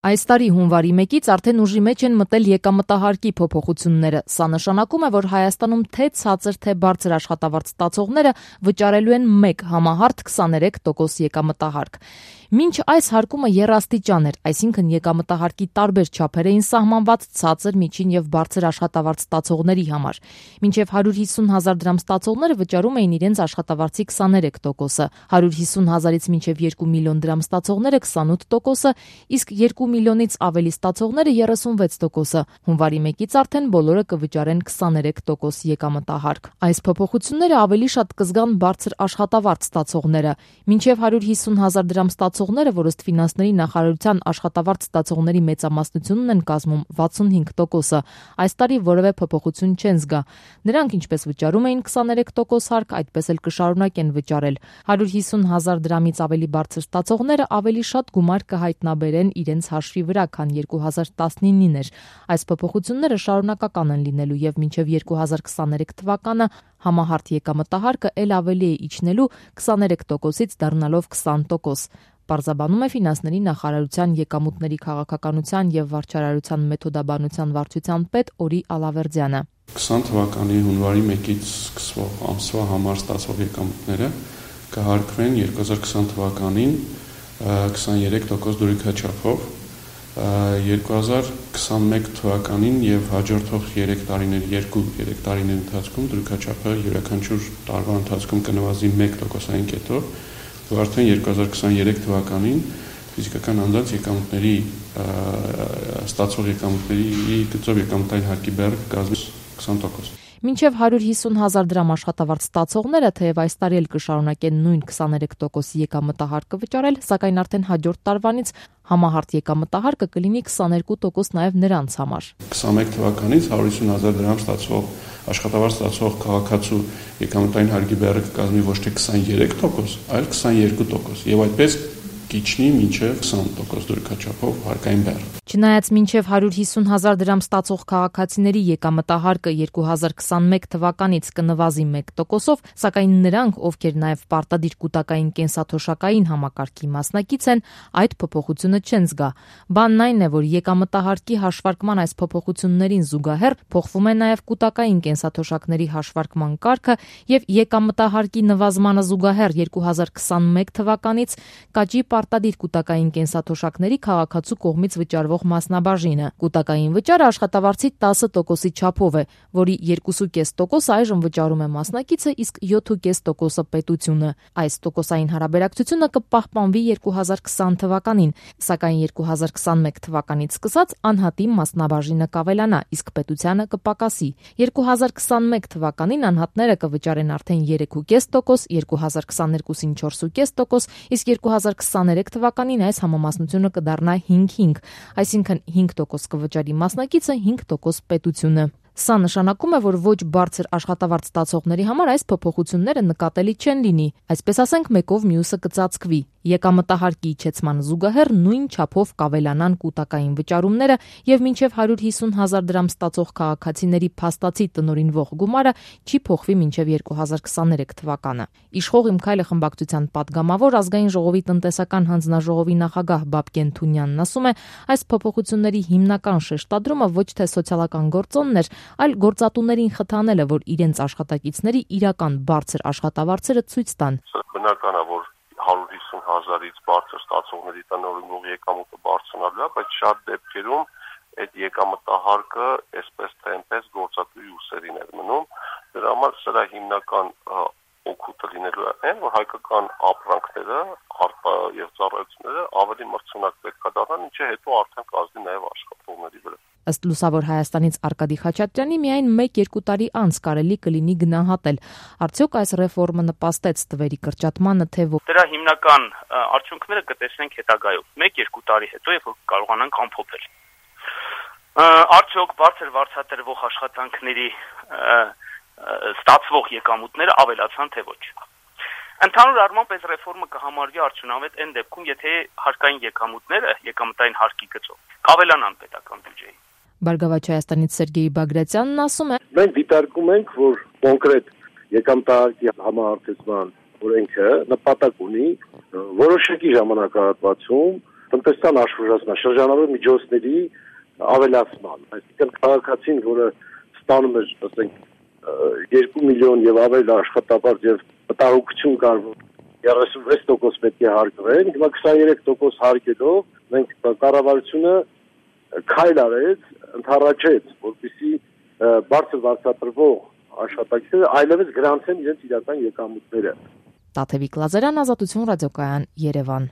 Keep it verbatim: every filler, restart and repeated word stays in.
Այս տարի հունվարի մեկից արդեն ուժի մեջ են մտել եկամտահարկի փոփոխությունները։ Սա նշանակում է, որ Հայաստանում թե ցածր, թե բարձր աշխատավարձ ստացողները վճարելու են մեկ համահարթ քսաներեք տոկոս եկամտահարկ։ Մինչ այս հարկումը եռաստիճան էր, այսինքն եկամտահարկի տարբեր չափեր էին սահմանված ցածր, միջին եւ բարձր աշխատավարձ ստացողների համար։ Մինչեւ հարյուր հիսուն հազար դրամ ստացողները վճարում էին իրենց աշխատավարձի քսաներեք տոկոսը, հարյուր հիսուն հազարից մինչեւ երկու միլիոն դրամ ստացողները քսանութ տոկոսը, իսկ երկու միլիոնից ավելի ստացողները երեսունվեց տոկոսը։ Հունվարի մեկից արդեն բոլորը կվճարեն քսաներեք տոկոս եկամտահարկ։ Այս փոփոխությունները ավելի շատ կզգան բարձր աշխատավարձ ստացողները։ Մինչև հարյուր հիսուն հազար դրամ ստացողները, որ ըստ ֆինանսների նախարարության աշխատավարձ ստացողների մեծամասնությունն են կազմում վաթսունհինգ տոկոսը, այս տարի որևէ փոփոխություն չեն զգա։ Նրանք ինչպես վճարում էին քսաներեք տոկոս հարկ, այդպես էլ կշարունակեն վճարել։ հարյուր հիսուն հազար դրամից ավելի բարձր ստացողները ավելի շատ գումար կհայտնաբերեն իրենց հաշվի վրա, քան երկու հազար տասնինին էր։ Այս փոփոխությունները շարունակական են լինելու եւ մինչեւ երկու հազար քսաներեք թվականը համահարթ եկամտահարկը ել ավելի է իջնելու քսաներեք տոկոսից դառնալով քսան տոկոս։ Պարզաբանում է ֆինանսների նախարարության եկամուտների քաղաքականության եւ վարչարարության մեթոդաբանության վարչության պետ Օրի Ալավերդյանը։ քսան թվականի հունվարի մեկից սկսվող ամսվա համար ստացվող եկամուտները կհարկվեն երկու հազար քսան թվականին քսաներեք տոկոս դրույքաչափով, երկու հազար քսանմեկ թվականին եւ հաջորդող երեք տարիների երկու երեք տարիների ընթացքում դրույքաչափը յուրաքանչյուր տարվա ընթացքում կնվազի մեկ տոկոսային կետով, ու արդեն երկու հազար քսաներեք թվականին ֆիզիկական անձանց եկամուտների ստացող եկամուտների գծով եկամտային հարկի բեռը կկազմի քսան տոկոս։ Մինչև հարյուր հիսուն հազար դրամ աշխատավարձ ստացողները, թեև այս տարի էլ կշարունակեն նույն քսաներեք տոկոս եկամտահարկը վճարել, սակայն արդեն հաջորդ տարվանից համահարթ եկամտահարկը կլինի քսաներկու տոկոս նաև նրանց համար։ քսանմեկ թվականից հարյուր հիսուն հազար դրամ ստացող աշխատավարձ ստացող քաղաքացու եկամտային հարկի բեռը կկազմի ոչ թե քսաներեք տոկոս, այլ քսաներկու տոկոս, եւ այդպես կիջնի մինչև քսան տոկոս դրույքաչափով հարկային բեռ։ Չնայած մինչև հարյուր հիսուն հազար դրամ ստացող քաղաքացիների եկամտահարկը երկու հազար քսանմեկ թվականից կնվազի մեկ տոկոսով, սակայն նրանք, ովքեր նաև պարտադիր կൂട്ടակային կենսաթոշակային համակարգի մասնակից են, այդ փոփոխությունը չեն զգա։ Բանն այն է, որ եկամտահարկի հաշվարկման այս փոփոխություններին զուգահեռ փոխվում է նաև կൂട്ടակային կենսաթոշակների հաշվարկման կարգը եւ եկամտահարկի նվազմանը զուգահեռ երկու հազար քսանմեկ թվականից կաճի պարտադիր կൂട്ടակային կենսաթոշակների քաղաքացու կողմից վճարվող մասնաբաժինը։ Կൂട്ടակային վճարը աշխատավարձի տասը տոկոսի չափով է, որի երկու կόμμα պենս տոկոս այժմ վճարում է մասնակիցը, իսկ յոթ կόμμα պենս տոկոսը պետությունը։ Այս տոկոսային հարաբերակցությունը կպահպանվի երկու հազար քսան թվականին, սակայն երկու հազար քսանմեկ թվականից սկսած անհատի մասնաբաժինը կավելանա, իսկ պետությանը կպակասի։ երկու հազար քսանմեկ թվականին անհատները կվճարեն արդեն երեք կόμμα պենս տոկոս, երկու հազար քսաներկուսին չորս կόμma պենս տոկոս, իսկ երկու հազար քսաներեք թվականին այս համամասնությունը կդառնա հինգ հինգ, այսինքն հինգ տոկոս կվճարի մասնակիցը, հինգ տոկոս պետությունը։ Սա նշանակում է, որ ոչ բարձր աշխատավարձ ստացողների համար այս փոփոխությունները նկատելի չեն լինի, այսպես ասենք մեկով մյուսը կծածկվի։ Եկամտահարկի իջեցման զուգահեռ նույն չափով կավելանան կൂട്ടակային վճարումները եւ մինչեւ հարյուր հիսուն հազար դրամ ստացող քաղաքացիների փաստացի տնօրինվող գումարը չի փոխվի մինչեւ երկու հազար քսաներեք թվականը։ Իշխող Իմ քայլը խմբակցության պատգամավոր ազգային ժողովի տնտեսական հանձնաժողովի նախագահ Բաբկեն Թունյանն ասում է, այս փոփոխությունների հիմնական շեշտադրումը ոչ թե սոցիալական գործոնն էր, այլ գործատուներին խթանելը, որ իրենց աշխատակիցների իրական բարձր աշխատավարձերը ցույց տան։ Բնական է, որ հարյուր հիսուն հազարից բարձր ստացողների տնօրինվող եկամուտը բարձրանալու է, բայց շատ դեպքերում այդ եկամտահարկը այսպես թե այնպես գործատուի ուսերին է մնում։ Դրա համար սրա հիմնական օգուտը լինելու է այն, որ հայկական ապրանքները, արտա եւ ծառայությունները ավելի մրցունակ պետք է դառնան, ինչը հետո արդեն կազդի նաեւ աշխատողների վրա։ Ըստ Լուսավոր Հայաստանից Արկադի Խաչատրյանի միայն մեկ-երկու տարի անց կարելի կլինի գնահատել, արդյոք այս ռեֆորմը նպաստեց թվերի կրճատմանը, թե ոչ։ Դրա հիմնական արդյունքները կտեսնենք հետագայում, մեկ-երկու տարի հետո, երբ որ կարողանանք ամփոփել։ Արդյոք բարձր վարձատրվող աշխատանքների ստացվող եկամուտները ավելացան, թե ոչ։ Ընդհանուր առմամբ այս ռեֆորմը կհամարվի արդյունավետ այն դեպքում, եթե հարկային եկամուտները եկամտային հարկի գծով կավելանան պետական բյուջեի։ Բարգավաճ Հայաստանից Սերգեյ Բագրատյանն ասում է. Մենք դիտարկում ենք, որ կոնկրետ եկամտահարկի համահարթեցման օրենքը նպատակ ունի որոշակի ժամանակահատվածում տնտեսական աշխուժացման, շրջանառող միջոցների ավելացման, այսինքն քաղաքացին, որը ստանում էր, ասենք, երկու միլիոն եւ ավել աշխատավարձ եւ մտահոգություն կար, երեսունվեց տոկոս պետք է հարկվեն, հիմա քսաներեք տոկոս հարկելով մենք կառավարությունը քայլ արեց, ընդառաջեց, որպեսզի բարձր վարձատրվող աշխատակիցները այլևս գրանցեն իրենց իրական եկամուտները։ Տաթևիկ Լազարյան, Ազատություն ռադիոկայան, Երևան։